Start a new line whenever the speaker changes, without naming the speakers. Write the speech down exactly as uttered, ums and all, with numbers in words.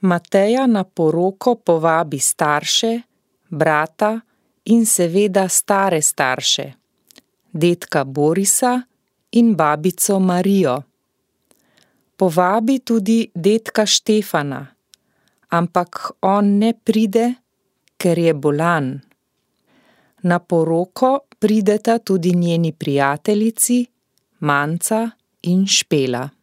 Mateja na poroko povabi starše, brata in seveda stare starše, dedka Borisa in babico Marijo. Povabi tudi dedka Štefana, ampak on ne pride, ker je bolan. Na poroko prideta tudi njeni prijateljici, Manca in Špela.